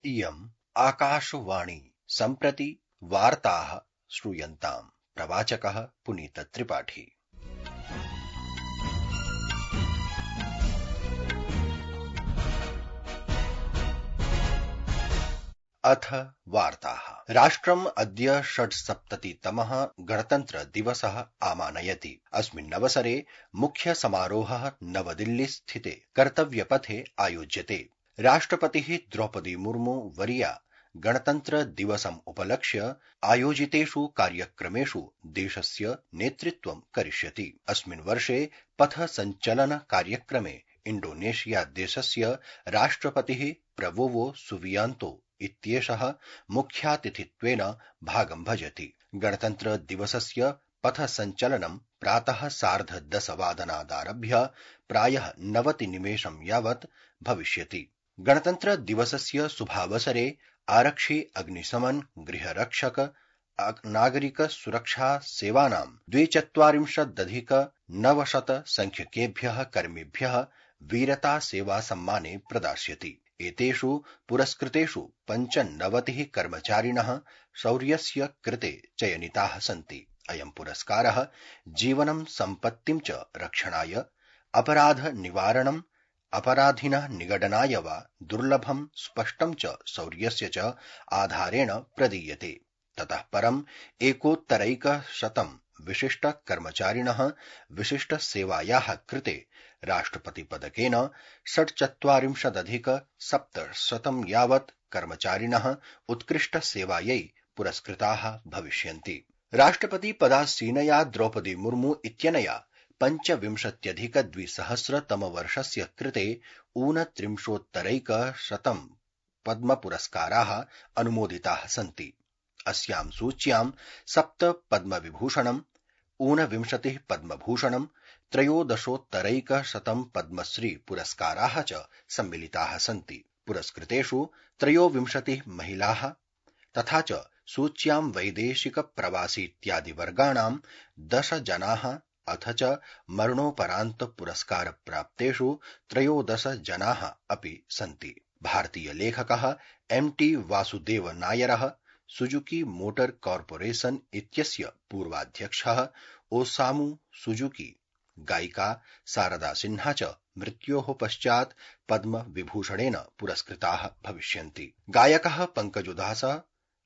इयम् आकाशवाणी सम्प्रति वार्ताः श्रूयन्ताम्। प्रवाचकः पुनीतत्रिपाठी। अथ वार्ताः। राष्ट्रम् अद्य 86तमः गणतन्त्रदिवसः आमानयति। अस्मिन्नवसरे मुख्य समारोहः नवदिल्लीस्थिते कर्तव्यपथे आयोज्यते। राष्ट्रपतिः द्रौपदी मुर्मू वर्या गणतन्त्रदिवसम् उपलक्ष्य आयोजितेषु कार्यक्रमेषु देशस्य नेतृत्वं करिष्यति। अस्मिन् वर्षे पथसञ्चलन कार्यक्रमे इण्डोनेशिया देशस्य राष्ट्रपतिः प्रबोवो सुबियान्तो इत्येषः मुख्यातिथित्वेन भागं भजति। गणतन्त्र दिवसस्य पथसञ्चलनं प्रातः 10:30 प्रायः 90 निमेषं यावत् भविष्यति। गणतन्त्र दिवसस्य शुभावसरे आरक्षि, अग्निशमन, गृहरक्षक, नागरिक सुरक्षा सेवानां 42,900 संख्यकेभ्यः कर्मिभ्यः वीरता सेवा सम्माने प्रदास्यति। एतेषु पुरस्कृतेषु 95 कर्मचारिणः शौर्यस्य कृते चयनिताः सन्ति। अयं पुरस्कारः जीवनं सम्पत्तिं च रक्षणाय, अपराध निवारणं, अपराधिनः निगडनाय वा दुर्लभं स्पष्टं च शौर्यस्य च आधारेण प्रदीयते। ततः परं 1,100 विशिष्ट कर्मचारिणः विशिष्ट सेवायाः कृते राष्ट्रपतिपदकेन 46,700 यावत् कर्मचारिणः उत्कृष्ट सेवायै पुरस्कृताः भविष्यन्ति। राष्ट्रपतिपदासीनया द्रौपदी मुर्मू इत्यनया 25,200 कृते 39,100 पद्मपुरस्काराः अनुमोदिताः सन्ति। अस्यां सूच्यां 7 पद्मविभूषणम्, 29 पद्मभूषणम्, 13,100 पद्मश्री पुरस्काराः च सम्मिलिताः सन्ति। पुरस्कृतेषु 23 महिलाः तथा च सूच्यां वैदेशिक प्रवासी इत्यादि वर्गाणां 10 जनाः अथ च मरणोपरान्त पुरस्कार प्राप्तेषु 13 जनाः अपि सन्ति। भारतीय लेखकः MT वासुदेव नायरः, सुजुकी मोटर कॉर्पोरेशन इत्यस्य पूर्वाध्यक्षः ओसामु सुजुकी, गायिका शारदा सिन्हा च मृत्योः पश्चात् पद्म विभूषणेन पुरस्कृताः भविष्यन्ति। गायकः पंकजोधासः,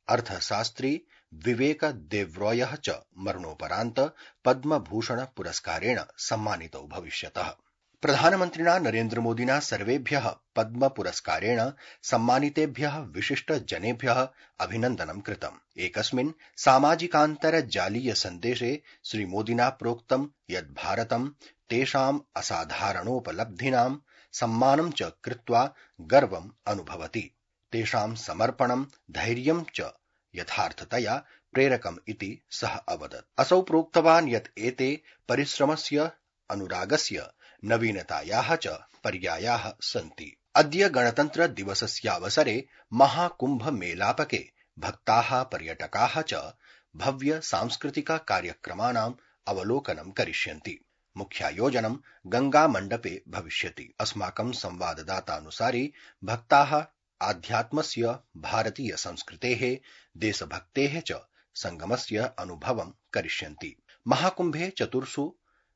अर्थशास्त्री विवेक देव्रॉयः च मरणोपरान्त पद्मभूषण पुरस्कारेण सम्मानितौ भविष्यतः। प्रधानमन्त्रिणा नरेन्द्र मोदिना सर्वेभ्यः पद्म पुरस्कारेण सम्मानितेभ्यः विशिष्ट जनेभ्यः अभिनन्दनं कृतम्। एकस्मिन् सामाजिकान्तर्जालीय सन्देशे श्रीमोदिना प्रोक्तं यत् भारतं तेषाम् असाधारणोपलब्धीनां सम्मानं च कृत्वा गर्वम् अनुभवति। तेषां समर्पणं, धैर्यं च यथार्थतया प्रेरकम् इति सः अवदत्। असौ प्रोक्तवान् यत् एते परिश्रमस्य, अनुरागस्य, नवीनतायाः च पर्यायाः सन्ति। अद्य गणतन्त्र दिवसस्यावसरे महाकुम्भ मेलापके भक्ताः, पर्यटकाः च भव्य सांस्कृतिक कार्यक्रमाणाम् अवलोकनं करिष्यन्ति। मुख्यायोजनं गंगा मण्डपे भविष्यति। अस्माकं संवाददातानुसारि भक्ताः आध्यात्मस्य, भारतीय संस्कृतेः, देशभक्तेः च संगमस्य अनुभवं करिष्यन्ति। महाकुम्भे 4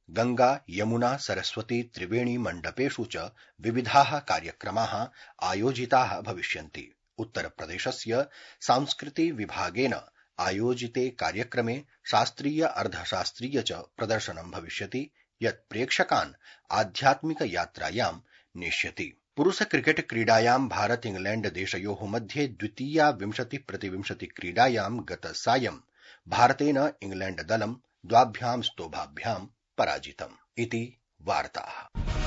गंगा, यमुना, सरस्वती, त्रिवेणी मण्डपेषु च विविधाः कार्यक्रमाः आयोजिताः भविष्यन्ति। उत्तरप्रदेशस्य सांस्कृति विभागेन आयोजिते कार्यक्रमे शास्त्रीय, अर्धशास्त्रीय च प्रदर्शनं भविष्यति, यत् प्रेक्षकान् आध्यात्मिक यात्रायां नेष्यति। पुरुष क्रिकेट क्रीडायां भारत इंग्लैंड देशयोः मध्ये द्वितीया 20-20 क्रीडायां गतसायं भारतेन इंग्लैंड दलं 2 स्तोभाभ्यां पराजितम् इति वार्ताः।